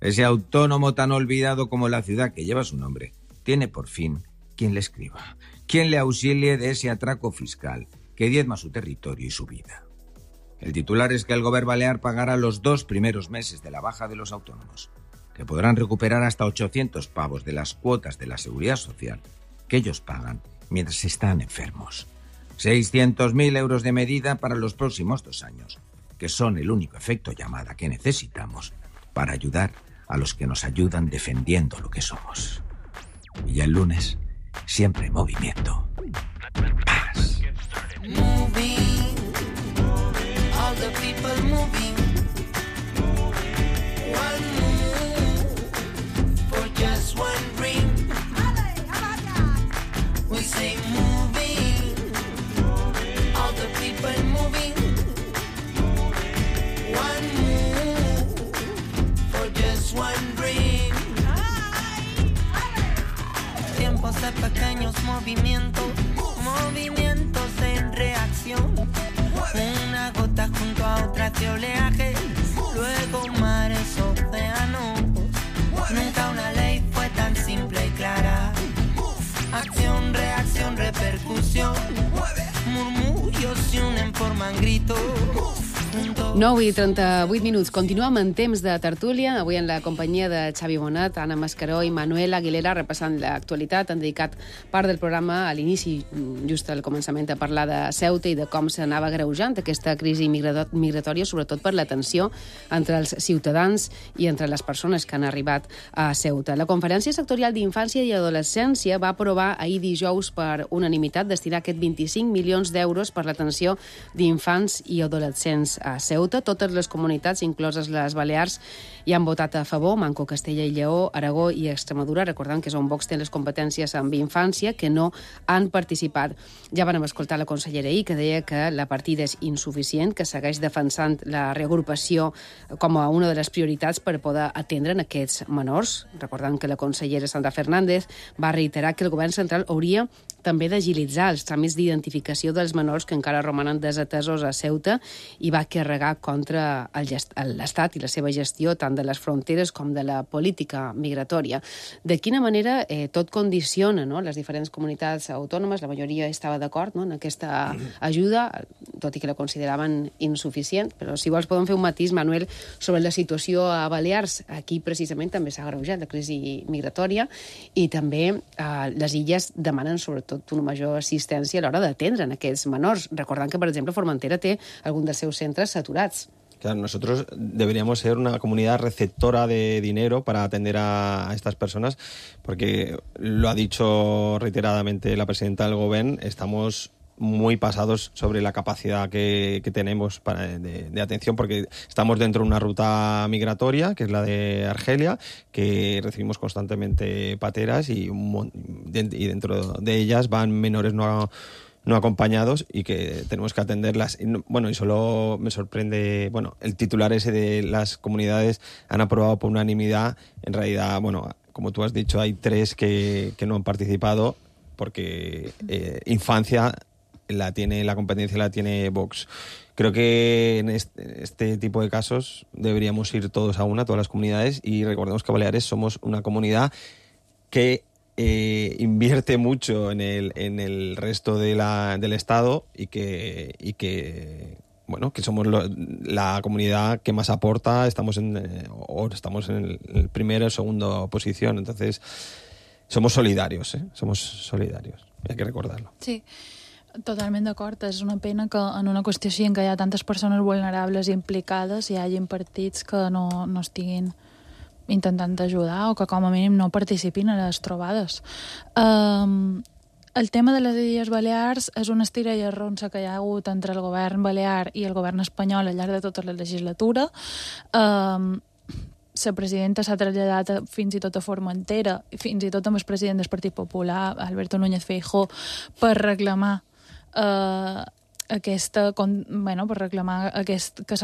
Ese autónomo tan olvidado como la ciudad que lleva su nombre tiene por fin quien le escriba, quien le auxilie de ese atraco fiscal que diezma su territorio y su vida. El titular es que el Gobierno Balear pagará los 2 primeros meses de la baja de los autónomos, que podrán recuperar hasta 800 pavos de las cuotas de la Seguridad Social que ellos pagan mientras están enfermos. 600.000 euros de medida para los próximos 2 años, que son el único efecto llamada que necesitamos para ayudar a los que nos ayudan defendiendo lo que somos. Y ya el lunes, siempre en movimiento. Paz. Moving, all the people moving. One move for just one ring. We say moving, all the people moving. One move for just one ring. Tiempos de pequeños movimientos, movimientos en reacción. Una gota junto a otra de oleaje, luego mares, océanos. Nunca una ley fue tan simple y clara. Acción, reacción, repercusión. Murmullos se unen, forman gritos. 9:38. Continuem en temps de tertúlia, avui en la companyia de Xavi Bonat, Anna Mascaró i Manuel Aguilera, repassant l'actualitat. Han dedicat part del programa a l'inici, just al començament, a parlar de Ceuta i de com s'anava agreujant aquesta crisi migratòria, sobretot per la tensió entre els ciutadans i entre les persones que han arribat a Ceuta. La Conferència Sectorial d'Infància i Adolescència va aprovar ahir dijous per unanimitat destinar aquests 25 milions d'euros per l'atenció d'infants i adolescents a Ceuta. Ceuta. Totes les comunitats, incloses les Balears, hi han votat a favor, Manco, Castella i Lleó, Aragó i Extremadura, recordant que és on Vox té les competències amb infància, que no han participat. Ja vam escoltar la consellera ahir, que deia que la partida és insuficient, que segueix defensant la reagrupació com a una de les prioritats per poder atendre en aquests menors. Recordant que la consellera Sandra Fernández va reiterar que el govern central hauria també d'agilitzar els tràmits d'identificació dels menors que encara romanen desatesos a Ceuta i va carregar contra l'Estat i la seva gestió tant de les fronteres com de la política migratòria. De quina manera tot condiciona, no?, les diferents comunitats autònomes, la majoria estava d'acord, no?, en aquesta ajuda, tot i que la consideraven insuficient, però si vols podem fer un matís, Manuel, sobre la situació a Balears. Aquí precisament també s'ha agreujat la crisi migratòria i també les illes demanen sobretot una major assistència a l'hora d'atendre en aquests menors, recordant que, per exemple, Formentera té algun dels seus centres saturats. Claro, nosotros deberíamos ser una comunidad receptora de dinero para atender a estas personas, porque lo ha dicho reiteradamente la presidenta del Gobierno, estamos muy pasados sobre la capacidad que tenemos de atención, porque estamos dentro de una ruta migratoria, que es la de Argelia, que recibimos constantemente pateras y dentro de ellas van menores no acompañados y que tenemos que atenderlas. Y solo me sorprende, el titular ese de las comunidades han aprobado por unanimidad. En realidad, como tú has dicho, hay 3 que no han participado porque infancia la competencia la tiene Vox. Creo que en este tipo de casos deberíamos ir todos a todas las comunidades, y recordemos que Baleares somos una comunidad que invierte mucho en el resto del Estado y que somos la comunidad que más aporta, estamos en el primera o segunda posición, entonces somos solidarios, hay que recordarlo. Sí. Totalment d'acord. És una pena que en una qüestió així en què hi ha tantes persones vulnerables i implicades hi hagin partits que no estiguin intentant ajudar o que com a mínim no participin a les trobades. El tema de les Illes Balears és una estira i arronsa que hi ha hagut entre el govern balear i el govern espanyol al llarg de tota la legislatura. La presidenta s'ha traslladat fins i tot a Formentera, fins i tot amb el president del Partit Popular, Alberto Núñez Feijóo, per reclamar que se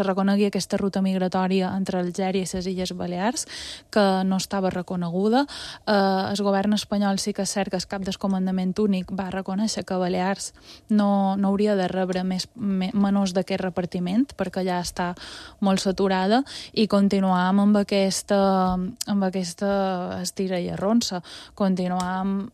reconegui aquesta ruta migratòria entre Algèria i les Illes Balears, que no estava reconeguda. El govern espanyol sí que és cert que el cap del comandament únic va reconèixer que Balears no hauria de rebre menors d'aquest repartiment, perquè ja està molt saturada, i continuàvem amb aquesta estira i arronsa. Continuàvem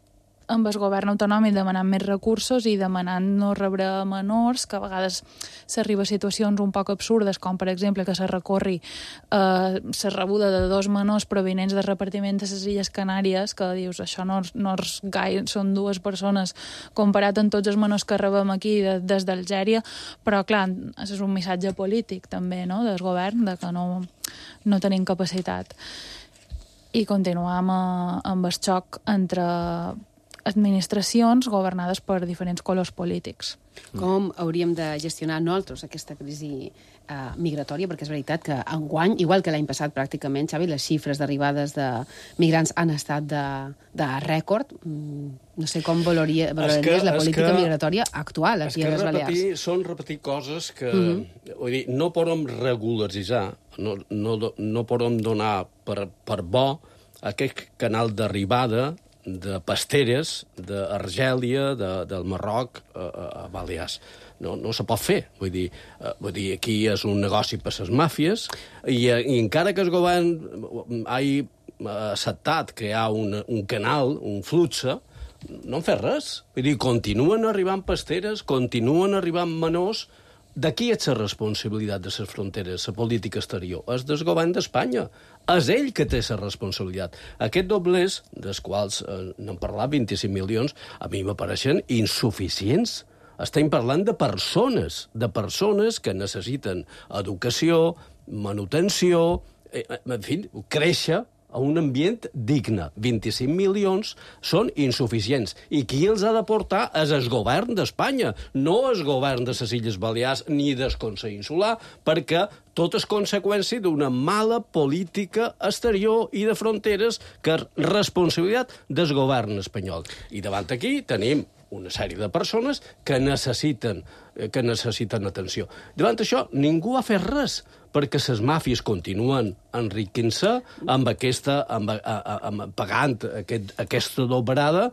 amb el govern autonòmic demanant més recursos i demanant no rebre menors, que a vegades s'arriba a situacions un poc absurdes, com per exemple que se recorri la rebuda de 2 menors provinents del repartiment de les Illes Canàries, que dius, això no és gaire, són 2 persones comparat amb tots els menors que rebem aquí des d'Algèria, però clar, és un missatge polític també, no?, del govern, de que no tenim capacitat. I continuam amb el xoc entre administracions governades per diferents colors polítics. Com hauríem de gestionar nosaltres aquesta crisi migratòria? Perquè és veritat que enguany, igual que l'any passat pràcticament, Xavi, les xifres d'arribades de migrants han estat de rècord. No sé com valoraries la política migratòria actual aquí a les Balears. Són repetir coses que vull dir, no podem regularitzar, no podem donar per bo aquest canal d'arribada de pasteres d'Argèlia, del Marroc a Balears. No se pot fer. Vull dir, aquí és un negoci per les màfies i encara que el govern hagi acceptat crear un canal, un flux, no han fet res. Vull dir, continuen arribant pasteres, continuen arribant menors. De qui és la responsabilitat de les fronteres, la política exterior? És del govern d'Espanya. És ell que té la responsabilitat. Aquests doblers, dels quals n'hem parlat, 25 milions, a mi m'apareixen insuficients. Estem parlant de persones que necessiten educació, manutenció, en fi, créixer, a un ambient digne. 25 milions són insuficients. I qui els ha de portar és el govern d'Espanya, no el govern de les Illes Balears ni del Consell Insular, perquè tot és conseqüència d'una mala política exterior i de fronteres que és responsabilitat del govern espanyol. I davant aquí tenim una sèrie de persones que necessiten atenció. Davant això, ningú ha fet res, perquè les màfies continuen enriquint-se pagant aquesta dobrada.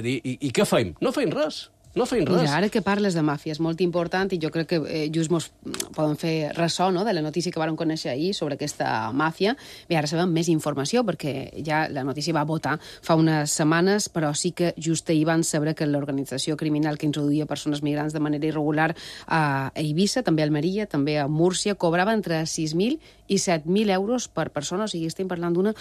I què fem? No fem res. No feim res. Mira, ara que parles de màfia, és molt important i jo crec que just mos poden fer ressò, no?, de la notícia que vàrem conèixer ahir sobre aquesta màfia. Bé, ara sabem més informació perquè ja la notícia va votar fa unes setmanes, però sí que just ahir van saber que l'organització criminal que introduïa persones migrants de manera irregular a Eivissa, també a Almeria, també a Múrcia, cobrava entre 6.000 i 7.000 euros per persona, o sigui, estem parlant d'una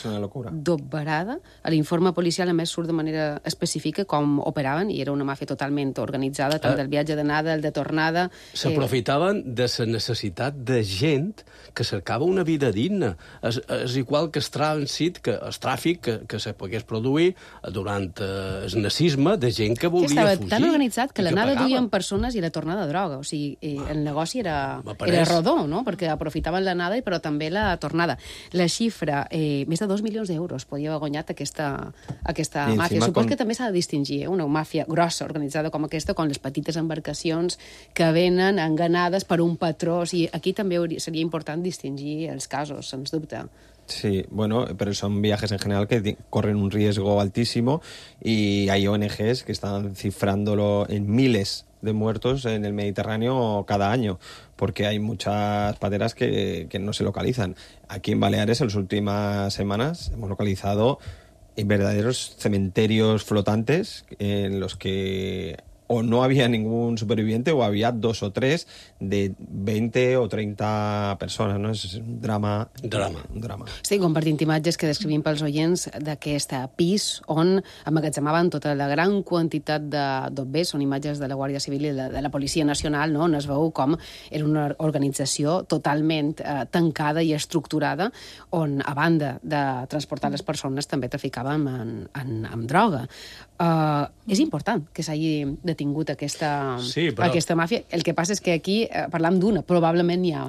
dobrada. A l'informe policial, a més, surt de manera específica com operaven, i era una màfia totalment organitzada, tant del viatge d'anada, el de tornada. S'aprofitaven de la necessitat de gent que cercava una vida digna. És igual que el tràfic que se pogués produir durant el nazisme de gent que volia fugir. Estava tan organitzat que l'anada duien persones i la tornada droga. O sigui, el negoci era rodó, no?, perquè aprofitaven l'anada però també la tornada. La xifra, més de 2 milions d'euros podia haver guanyat aquesta màfia. Supos que també s'ha de distingir una màfia grossa, organitzada com aquesta, com les petites embarcacions que venen enganades per un patró. O sigui, aquí també seria important distingir els casos, sens dubte. Sí, bueno, pero son viajes en general que corren un riesgo altísimo y hay ONGs que están cifrándolo en miles de muertos en el Mediterráneo cada año, porque hay muchas pateras que no se localizan. Aquí en Baleares, en las últimas semanas, hemos localizado verdaderos cementerios flotantes en los que o no había ningún superviviente o había 2 o 3 de 20 o 30 persones, no? És un drama. Un drama. Estic compartint imatges que descrivim pels oients d'aquest pis on emmagatzemaven tota la gran quantitat d'obvers. Són imatges de la Guàrdia Civil i de la Policia Nacional, no?, on es veu com era una organització totalment tancada i estructurada, on, a banda de transportar les persones, també traficàvem amb droga. És important que s'hagi detingut aquesta màfia. El que passa és que aquí parlam d'una, probablement n'hi ha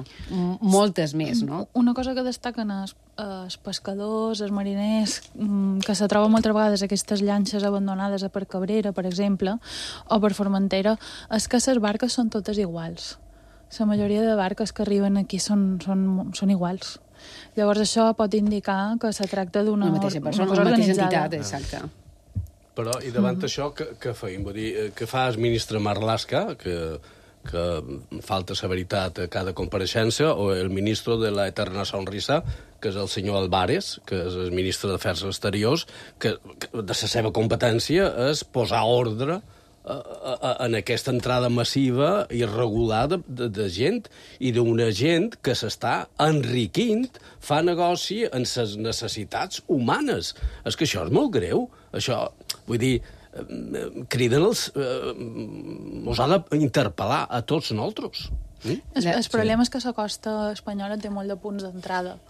moltes més, no? Una cosa que destaquen els pescadors, els mariners, que se troben moltes vegades aquestes llanxes abandonades per Cabrera, per exemple, o per Formentera, és que les barques són totes iguals. La majoria de barques que arriben aquí són iguals. Llavors això pot indicar que se tracta d'una mateixa persona, una mateixa entitat, exacte. Però, i davant això, què feim? Vull dir, què fa el ministre Marlaska, que falta la veritat a cada compareixença, o el ministre de la eterna sonrisa, que és el senyor Álvarez, que és el ministre d'Afers Exteriors, que de la seva competència és posar ordre en aquesta entrada massiva i irregular de gent, i d'una gent que s'està enriquint, fa negoci en les necessitats humanes. És que això és molt greu. Això, vull dir, criden mos ha d'interpel·lar a tots nosaltres. El problema és que la costa espanyola té molt de punts d'entrada.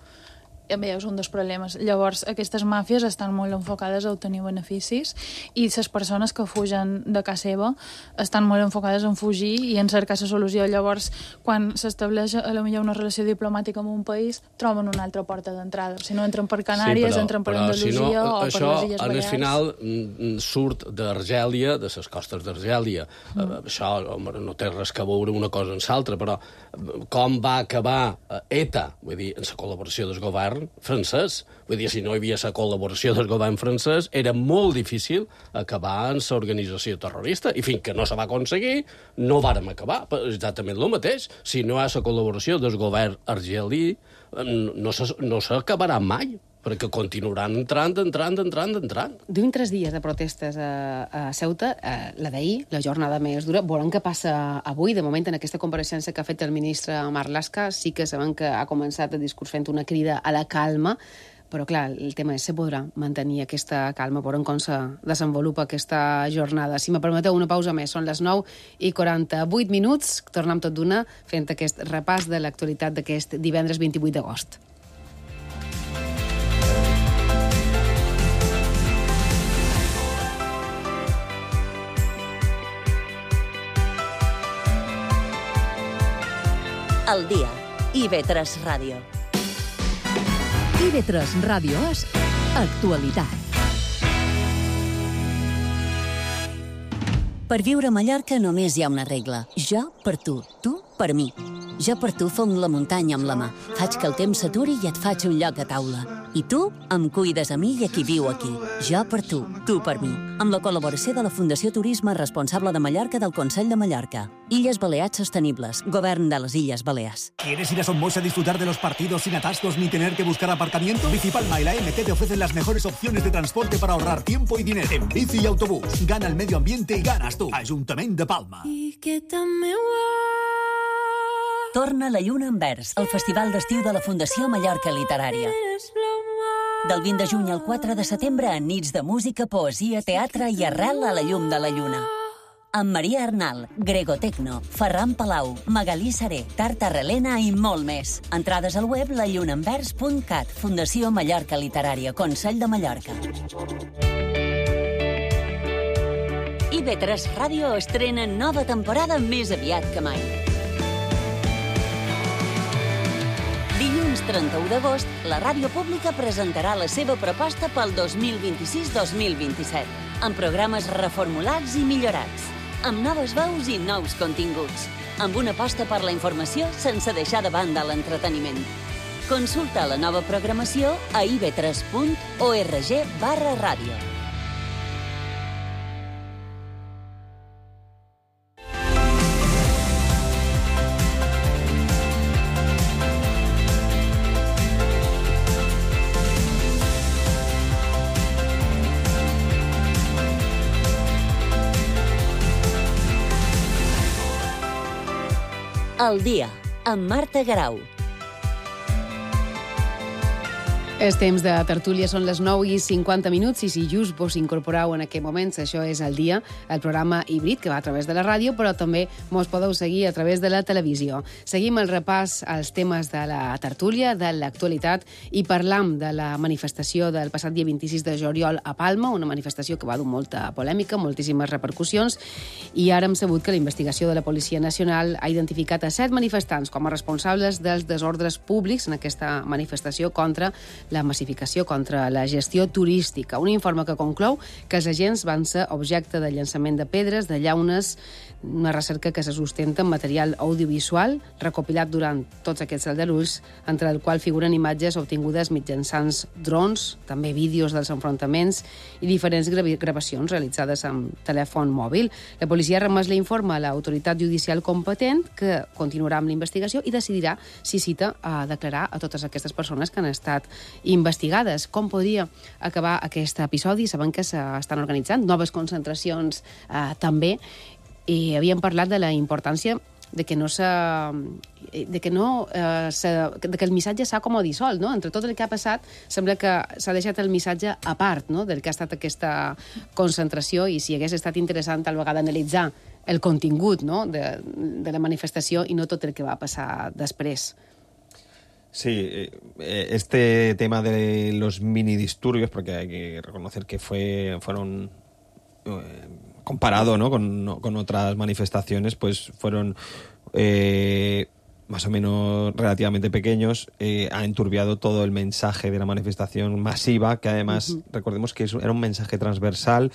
També és un dels problemes. Llavors, aquestes màfies estan molt enfocades a obtenir beneficis i les persones que fugen de casa seva estan molt enfocades en fugir i en cercar la solució. Llavors, quan s'estableix potser una relació diplomàtica amb un país, troben una altra porta d'entrada. Si no entren per Canàries, entren per Andalusia o per les Illes Balears. Al final surt d'Argèlia, de les costes d'Argèlia. Això no té res que veure una cosa amb l'altra, però com va acabar ETA, vull dir, en la col·laboració del govern francès. Vull dir, si no hi havia la col·laboració del govern francès, era molt difícil acabar en l'organització terrorista. I fins que no se va aconseguir, no vàrem acabar. Exactament el mateix. Si no hi ha la col·laboració del govern argelí, no s'acabarà mai, perquè continuaran entrant. Duim 3 dies de protestes a Ceuta, la d'ahir, la jornada més dura. Veurem què passa avui. De moment, en aquesta compareixença que ha fet el ministre Marlaska, sí que sabem que ha començat el discurs fent una crida a la calma, però, clar, el tema és, se podrà mantenir aquesta calma, veurem com se desenvolupa aquesta jornada. Si me permeteu una pausa més, són les 9:48. Tornem tot d'una fent aquest repàs de l'actualitat d'aquest divendres 28 d'agost. al dia. IB3 Ràdio. IB3 Ràdio és actualitat. Per viure a Mallorca només hi ha una regla. Jo per tu per mi. Jo per tu fong la muntanya amb la mà. Faig que el temps s'aturi i et faig un lloc a taula. I tu em cuides a mi i a qui viu aquí. Jo per tu per mi. Amb la col·laboració de la Fundació Turisme Responsable de Mallorca del Consell de Mallorca. Illes Balears Sostenibles. Govern de les Illes Balears. ¿Quieres ir a Somos a disfrutar de los partidos sin atascos ni tener que buscar aparcamiento? Bicipalma y la MT te ofrecen las mejores opciones de transporte para ahorrar tiempo y dinero. En bici y autobús. Gana el medio ambiente y ganas tú. Ayuntamiento de Palma. Torna la Lluna en Vers, el festival d'estiu de la Fundació Mallorca Literària. Del 20 de juny al 4 de setembre, en nits de música, poesia, teatre i arrel a la llum de la lluna. Amb Maria Arnal, Grego Tecno, Ferran Palau, Magalí Seré, Tarta Relena i molt més. Entrades al web lallunaenvers.cat. Fundació Mallorca Literària, Consell de Mallorca. IB3 Ràdio estrena nova temporada més aviat que mai. Dilluns 31 d'agost, la ràdio pública presentarà la seva proposta pel 2026-2027, amb programes reformulats i millorats, amb noves veus i nous continguts, amb una aposta per la informació sense deixar de banda l'entreteniment. Consulta la nova programació a ib3.org/ràdio. Al dia, amb Marta Garau. És temps de tertúlia, són les 9:50, i si just vos incorporeu en aquest moment, això és El dia, el programa híbrid que va a través de la ràdio, però també mos podeu seguir a través de la televisió. Seguim el repàs als temes de la tertúlia, de l'actualitat, i parlam de la manifestació del passat dia 26 de juliol a Palma, una manifestació que va dur molta polèmica, moltíssimes repercussions, i ara hem sabut que la investigació de la Policia Nacional ha identificat a 7 manifestants com a responsables dels desordres públics en aquesta manifestació contra la massificació, contra la gestió turística. Un informe que conclou que els agents van ser objecte de llançament de pedres, de llaunes, una recerca que se sustenta en material audiovisual recopilat durant tots aquests aldarulls, entre el qual figuren imatges obtingudes mitjançant drons, també vídeos dels enfrontaments i diferents gravacions realitzades amb telèfon mòbil. La policia ha remès l'informe a l'autoritat judicial competent, que continuarà amb la investigació i decidirà si cita a declarar a totes aquestes persones que han estat investigades. Com podria acabar aquest episodi? Sabem que s'estan organitzant noves concentracions també, i havíem parlat de la importància de que el missatge s'ha com a dissolt, no? Entre tot el que ha passat, sembla que s'ha deixat el missatge a part, no?, del que ha estat aquesta concentració, i si hagués estat interessant tal vegada analitzar el contingut, no?, de la manifestació i no tot el que va passar després. Sí, este tema de los minidisturbios, porque hay que reconocer que fueron comparado, ¿no?, con otras manifestaciones, pues fueron más o menos relativamente pequeños, ha enturbiado todo el mensaje de la manifestación masiva, que además, recordemos que era un mensaje transversal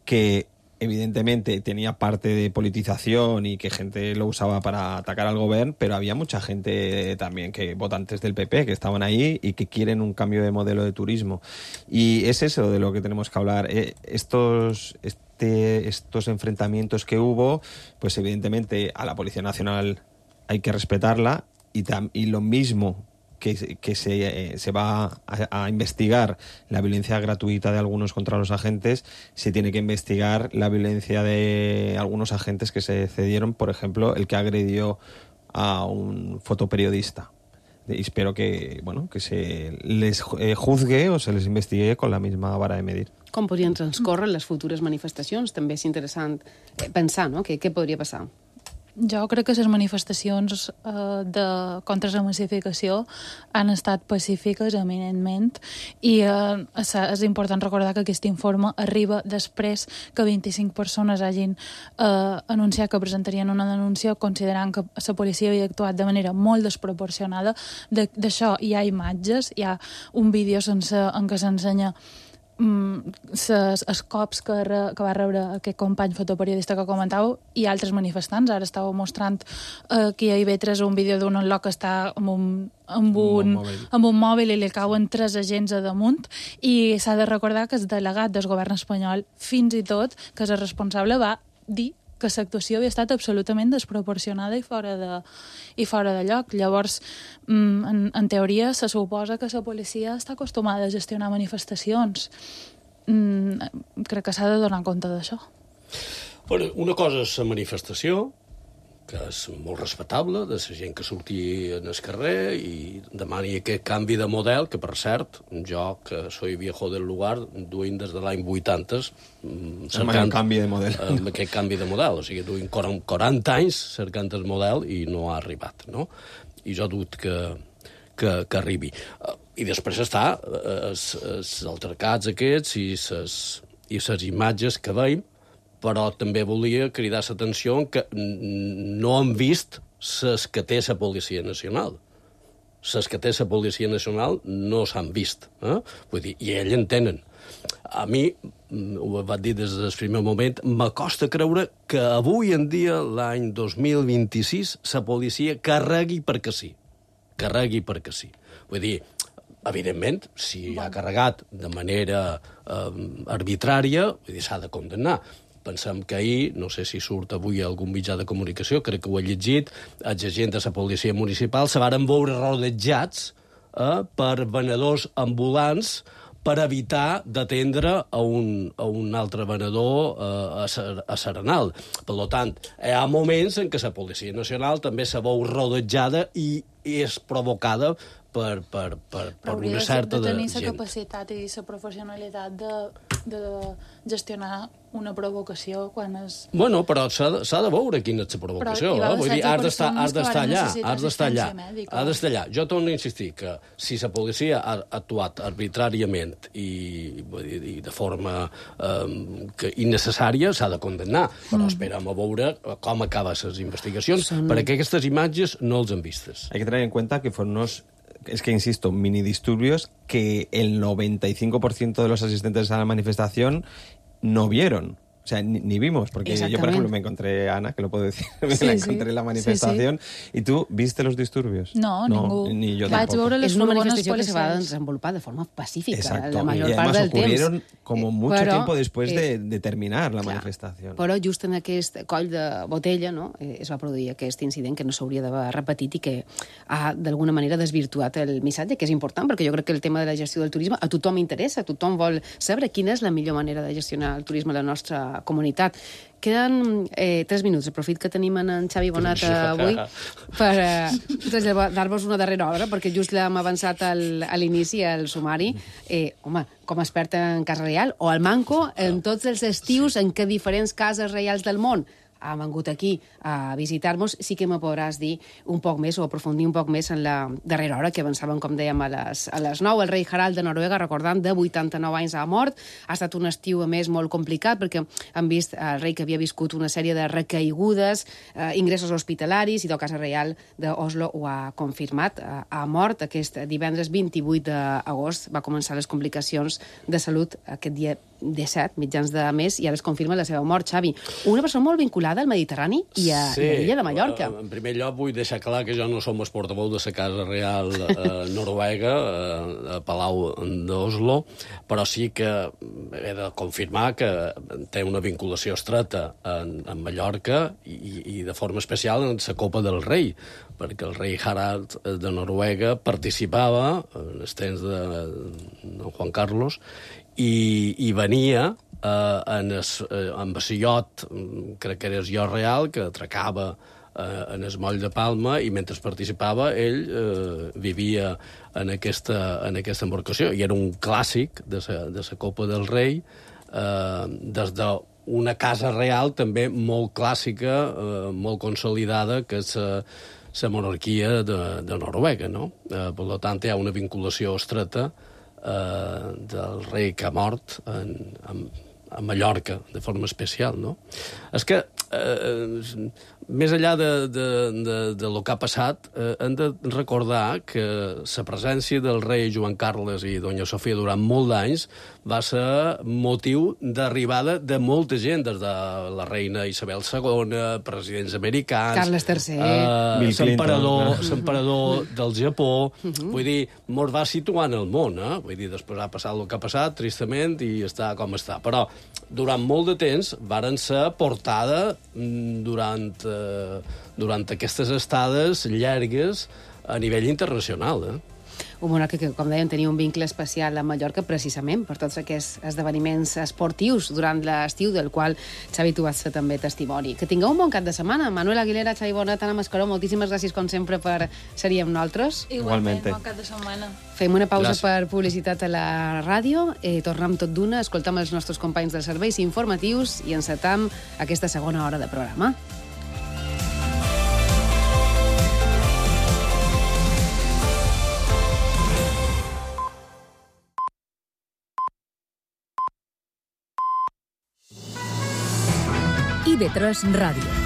que evidentemente tenía parte de politización y que gente lo usaba para atacar al gobierno, pero había mucha gente también, votantes del PP, que estaban ahí y que quieren un cambio de modelo de turismo. Y es eso de lo que tenemos que hablar. Estos enfrentamientos que hubo, pues evidentemente a la Policía Nacional hay que respetarla, y lo mismo que se va a investigar la violencia gratuita de algunos contra los agentes, se tiene que investigar la violencia de algunos agentes que se cedieron, por ejemplo, el que agredió a un fotoperiodista. Y espero que se les juzgue o se les investigue con la misma vara de medir. Com podrien transcórrer les futures manifestacions? També és interessant pensar, no?, què podria passar. Jo crec que les manifestacions contra la massificació han estat pacífiques eminentment i és important recordar que aquest informe arriba després que 25 persones hagin anunciat que presentarien una denúncia considerant que la policia havia actuat de manera molt desproporcionada. D'això hi ha imatges, hi ha un vídeo en què s'ensenya els cops que va rebre aquest company fotoperiodista que comentàveu i altres manifestants. Ara estàveu mostrant aquí a IB3 un vídeo d'un unlock que està amb un mòbil i li cauen 3 agents a damunt, i s'ha de recordar que el delegat del govern espanyol, fins i tot, que és el responsable, va dir que l'actuació havia estat absolutament desproporcionada i fora de lloc. Llavors, en teoria, se suposa que la policia està acostumada a gestionar manifestacions. Crec que s'ha de donar compte d'això. Bueno, una cosa és la manifestació, que és molt respectable, de la gent que surti en el carrer i demani aquest canvi de model, que per cert, jo, que soy viejo del lugar, duim des de l'any 80 cercant canvi de model. Aquest canvi de model, o sigui, duim 40 anys cercant el model i no ha arribat, no? I jo dut que arribi. I després està els altercats aquests i les imatges que veiem, però també volia cridar l'atenció que no han vist les que té la Policia Nacional. Les que té la Policia Nacional no s'han vist. Vull dir, i ells en tenen. A mi, ho vaig dir des del primer moment, m'acosta creure que avui en dia, l'any 2026, la policia carregui perquè sí. Carregui perquè sí. Vull dir, evidentment, si ha carregat de manera arbitrària, s'ha de condemnar. Pensem que ahir, no sé si surt avui algun mitjà de comunicació, crec que ho he llegit, els agents de la policia municipal se varen veure rodejats per venedors ambulants per evitar d'atendre a un altre venedor a Serenal. Per tant, hi ha moments en què la Policia Nacional també se veu rodejada i és provocada per una certa de tenir gent. la capacitat i la professionalitat de gestionar una provocació quan és... Bueno, però s'ha de veure quina és la provocació. Vull dir, has d'estar allà, has d'estar allà. Jo torno a insistir que si la policia ha actuat arbitràriament i de forma innecessària, s'ha de condemnar. Però esperem a veure com acaben les investigacions, perquè aquestes imatges no els han vistes. Hay que tener en cuenta que fueron insisto, mini disturbios que el 95% de los asistentes a la manifestación no vieron. O sea, ni vimos, porque yo, por ejemplo, me encontré a Ana, que lo puedo decir, la encontré en la manifestación, y tú, ¿viste los disturbios? No, ningú. Ni yo tampoco. És una manifestació que se va desenvolupar de forma pacífica. Exacto, la major y además part del ocurrieron como mucho però, tiempo después de terminar la manifestación. Però just en aquest coll de botella es va produir aquest incident que no s'hauria d'haver repetit i que ha d'alguna manera desvirtuat el missatge, que és important, perquè jo crec que el tema de la gestió del turisme a tothom interessa, tothom vol saber quina és la millor manera de gestionar el turisme a la nostra comunitat. Queden 3 minuts. Aprofit que tenim en Xavi Bonat avui per dar-vos una darrera hora, perquè just l'hem avançat a l'inici, al sumari. Com a expert en Casa Reial, o al Manco, en tots els estius en què diferents cases reials del món han vengut aquí a visitar-nos, sí que me podràs dir un poc més o aprofundir un poc més en la darrera hora, que avançàvem, com dèiem, a les 9. El rei Harald de Noruega, recordant, de 89 anys ha mort. Ha estat un estiu, a més, molt complicat, perquè han vist el rei que havia viscut una sèrie de recaigudes, ingressos hospitalaris, i la Casa Reial d'Oslo ho ha confirmat. Ha mort aquest divendres 28 d'agost. Va començar les complicacions de salut aquest dia 17, mitjans de mes, i ara es confirma la seva mort. Xavi, una persona molt vinculada al Mediterrani i a l'illa de Mallorca. En primer lloc, vull deixar clar que jo no som el portaveu de la Casa Reial noruega, a Palau d'Oslo, però sí que he de confirmar que té una vinculació estreta en Mallorca i de forma especial en la Copa del Rei, perquè el rei Harald de Noruega participava en els temps de Juan Carlos i venia amb el iot, crec que era el iot real, que atracava en el moll de Palma, i mentre participava ell vivia en aquesta embarcació, i era un clàssic de la Copa del Rei des de una casa real també molt clàssica, molt consolidada, que és la monarquia de Noruega, no? Per tant, hi ha una vinculació estreta del rei que ha mort a Mallorca, de forma especial, no? És que, més enllà de lo que ha passat, hem de recordar que la presència del rei Joan Carles i doña Sofia durant molt d'anys va ser motiu d'arribada de molta gent, des de la reina Isabel II, presidents americans... Carles III... l'emperador del Japó... Vull dir, mos va situar en el món, Vull dir, després ha passat el que ha passat, tristament, i està com està. Però durant molt de temps varen ser portada durant aquestes estades llargues a nivell internacional, Un monarca que, com dèiem, tenia un vincle especial a Mallorca precisament per tots aquests esdeveniments esportius durant l'estiu, del qual, Xavi, tu vas fer també testimoni. Que tingueu un bon cap de setmana. Manuel Aguilera, Xavi Bonet, Anna Mascaró, moltíssimes gràcies, com sempre, per ser-hi amb nosaltres. Igualment, bon cap de setmana. Fem una pausa per publicitat a la ràdio, tornem tot d'una, escoltam els nostres companys dels serveis informatius i encetam aquesta segona hora de programa. IB3 Ràdio.